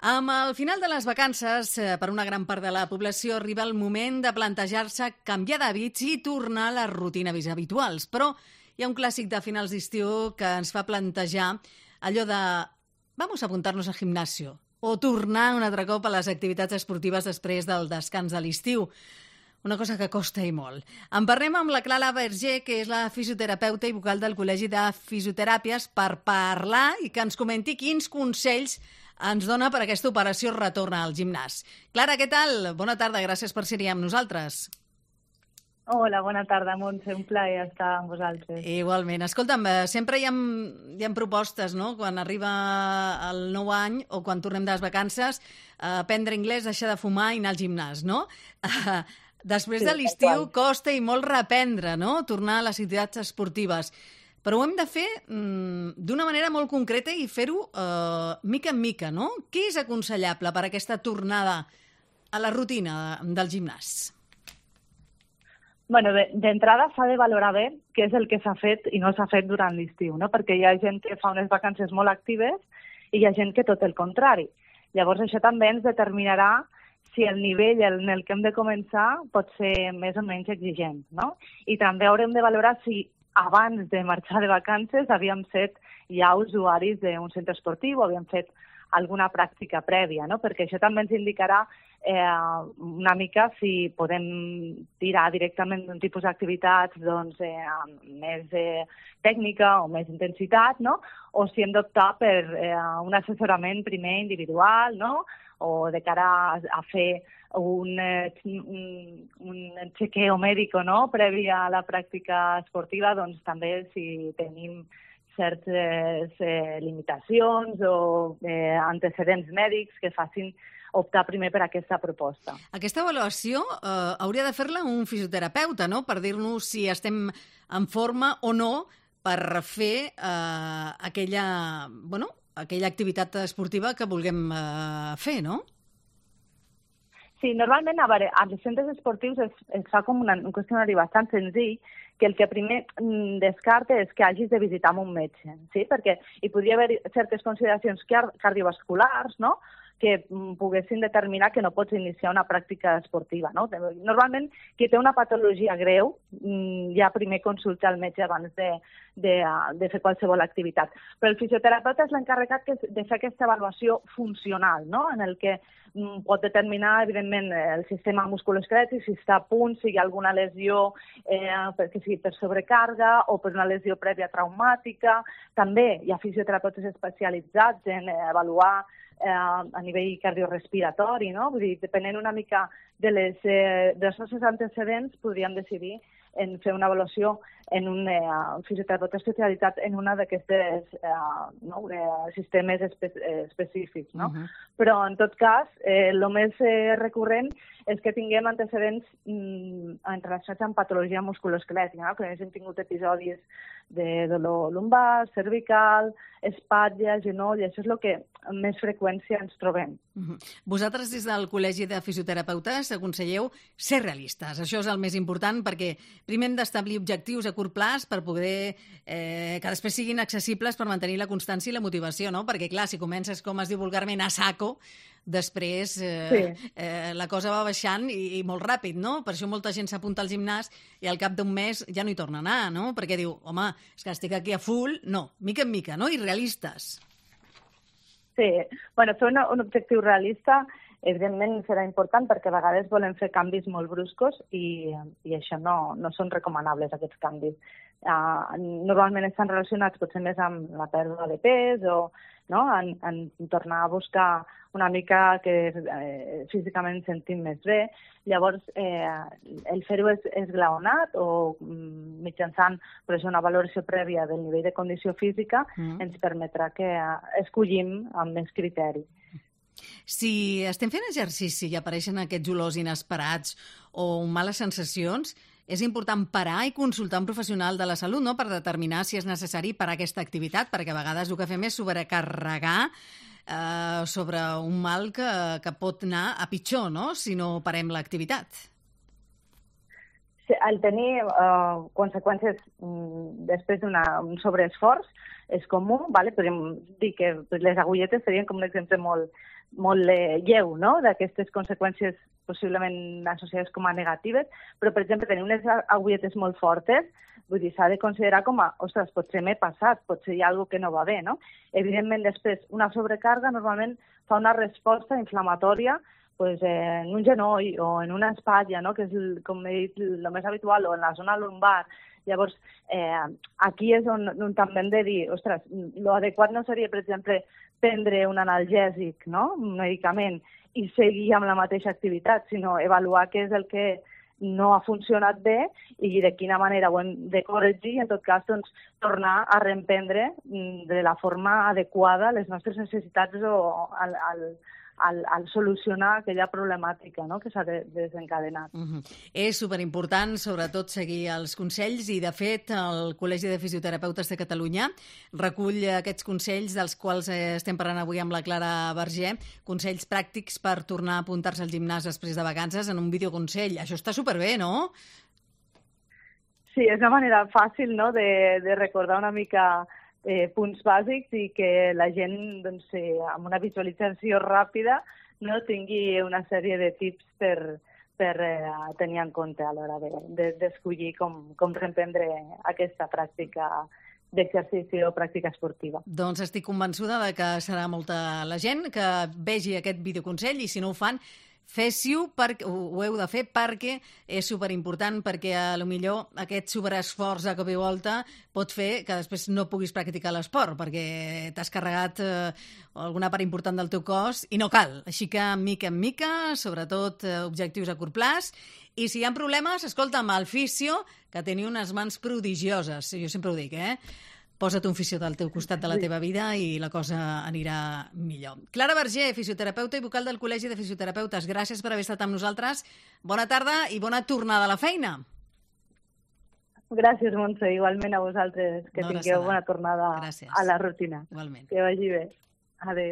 Amb el final de les vacances, per una gran part de la població arriba el moment de plantejar-se canviar d'hàbits i tornar a les rutines habituals. Però hi ha un clàssic de finals d'estiu que ens fa plantejar allò de vamos a apuntarnos al gimnasio o tornar un altre cop a les activitats esportives després del descans de l'estiu. Una cosa que costa i molt. En parlem amb la Clara Verger, que és la fisioterapeuta i vocal del Col·legi de Fisioteràpies, per parlar i que ens comenti quins consells ens dona per aquesta operació retorn al gimnàs. Clara, què tal? Bona tarda, gràcies per ser-hi amb nosaltres. Hola, bona tarda, Montse, un plaer estar amb vosaltres. Igualment. Escolta'm, sempre hi ha propostes, no?, quan arriba el nou any o quan tornem de les vacances, aprendre anglès, deixar de fumar i anar al gimnàs, no? Després de l'estiu costa i molt reprendre, no?, tornar a les activitats esportives. Però ho hem de fer d'una manera molt concreta i fer-ho mica en mica, no? Què és aconsellable per aquesta tornada a la rutina del gimnàs? Bueno, d'entrada s'ha de valorar bé què és el que s'ha fet i no s'ha fet durant l'estiu, no? Perquè hi ha gent que fa unes vacances molt actives i hi ha gent que tot el contrari. Llavors això també ens determinarà si el nivell en el que hem de començar pot ser més o menys exigent, no? I també haurem de valorar si abans de marxar de vacances havíem set ja usuaris d'un centre esportiu o havíem fet alguna pràctica prèvia, no? Perquè això també ens indicarà una mica si podem tirar directament d'un tipus d'activitats amb més tècnica o més intensitat, no? O si hem d'optar per un assessorament primer individual, no? O de cara a fer un chequeo mèdico, no?, previ a la pràctica esportiva, doncs també si tenim certes limitacions o antecedents mèdics que facin optar primer per aquesta proposta. Aquesta avaluació hauria de fer-la un fisioterapeuta, no?, per dir-nos si estem en forma o no per fer aquella activitat esportiva que vulguem fer, no? Sí, normalment, a veure, als centres esportius es fa com un qüestionari bastant senzill, que el que primer descarta és que hagis de visitar amb un metge, sí? Perquè hi podria haver certes consideracions cardiovasculars, no?, que poguessin determinar que no pots iniciar una pràctica esportiva, no? Normalment, qui té una patologia greu ja primer consulta el metge abans de fer qualsevol activitat. Però el fisioterapeuta és l'encarregat de fer aquesta avaluació funcional, no?, en el que pot determinar, evidentment, el sistema musculoesquelètic, si està a punt, si hi ha alguna lesió, perquè sigui per sobrecàrrega o per una lesió prèvia traumàtica. També hi ha fisioterapeutes especialitzats en avaluar a nivell cardiorespiratori, no? Vull dir, depenent una mica dels nostres antecedents, podríem decidir en fer una avaluació en un fisioterapeuta especialitzat en una d'aquestes sistemes específics, no? Però, en tot cas, el més recurrent és que tinguem antecedents relacionats amb patologia musculoesquelètica, no? Que hem tingut episodis de dolor lumbar, cervical, espatlla, genoll, això és el que amb més freqüència ens trobem. Vosaltres, des del Col·legi de Fisioterapeutes, aconselleu ser realistes. Això és el més important, perquè primer hem d'establir objectius a curt plaç per poder que després siguin accessibles per mantenir la constància i la motivació, no? Perquè, clar, si comences, com es diu vulgarment, a saco, després la cosa va baixant i molt ràpid, no? Per això molta gent s'apunta al gimnàs i al cap d'un mes ja no hi torna a anar, no? Perquè diu, home, és que estic aquí a full. No, mica en mica, no? I realistes. Sí, bueno, fer un objectiu realista evidentment serà important perquè a vegades volem fer canvis molt bruscos i això no són recomanables, aquests canvis. Normalment estan relacionats potser més amb la pèrdua de pes o en tornar a buscar una mica que físicament ens sentim més bé. Llavors, el fer-ho esglaonat o mitjançant una valoració prèvia del nivell de condició física ens permetrà que escollim amb més criteri. Si estem fent exercici i apareixen aquests olors inesperats o males sensacions, és important parar i consultar un professional de la salut, no?, per determinar si és necessari parar aquesta activitat, perquè a vegades el que fem és sobrecarregar sobre un mal que pot anar a pitjor, no?, si no parem l'activitat. El tenir conseqüències després d'un sobreesforç és comú, podríem dir que les agulletes serien com un exemple molt molt lleu, no?, d'aquestes conseqüències possiblement associades com a negatives, però, per exemple, tenir unes agulletes molt fortes, vull dir, s'ha de considerar com a, ostres, potser m'he passat, potser hi ha alguna que no va bé, no? Evidentment, després, una sobrecarga normalment fa una resposta inflamatòria pues, en un genoll o en una espatlla, no?, que és, com he dit, el més habitual, o en la zona lumbar. Llavors, aquí és on també hem de dir, ostres, l'adequat no seria, per exemple, prendre un analgèsic, no?, un medicament, i seguir amb la mateixa activitat, sinó avaluar què és el que no ha funcionat bé i de quina manera ho hem de corregir i, en tot cas, doncs, tornar a reemprendre de la forma adequada les nostres necessitats o al solucionar aquella problemàtica, no?, que s'ha desencadenat. És superimportant, sobretot, seguir els consells i, de fet, el Col·legi de Fisioterapeutes de Catalunya recull aquests consells dels quals estem parlant avui amb la Clara Vergé, consells pràctics per tornar a apuntar-se al gimnàs després de vacances en un videoconsell. Això està superbé, no? Sí, és una manera fàcil, no?, de recordar una mica punts bàsics i que la gent, doncs, amb una visualització ràpida, no, tingui una sèrie de tips per tenir en compte a l'hora d'escollir com reemprendre aquesta pràctica d'exercici o pràctica esportiva. Doncs estic convençuda de que serà molta la gent que vegi aquest videoconsell i, si no ho fan, fes-ho, ho heu de fer perquè és superimportant, perquè a lo millor aquest superesforç a cop i volta pot fer que després no puguis practicar l'esport perquè t'has carregat alguna part important del teu cos i no cal. Així que, mica en mica, sobretot objectius a curt plaç, i si hi ha problemes, escolta'm, el fisio, que tenia unes mans prodigioses, jo sempre ho dic, posa't un fisio del teu costat de la teva vida i la cosa anirà millor. Clara Vergé, fisioterapeuta i vocal del Col·legi de Fisioterapeutes, gràcies per haver estat amb nosaltres. Bona tarda i bona tornada a la feina. Gràcies, Montse. Igualment a vosaltres. Que tingueu bona tornada a la rutina. Igualment. Que vagi bé. Adéu.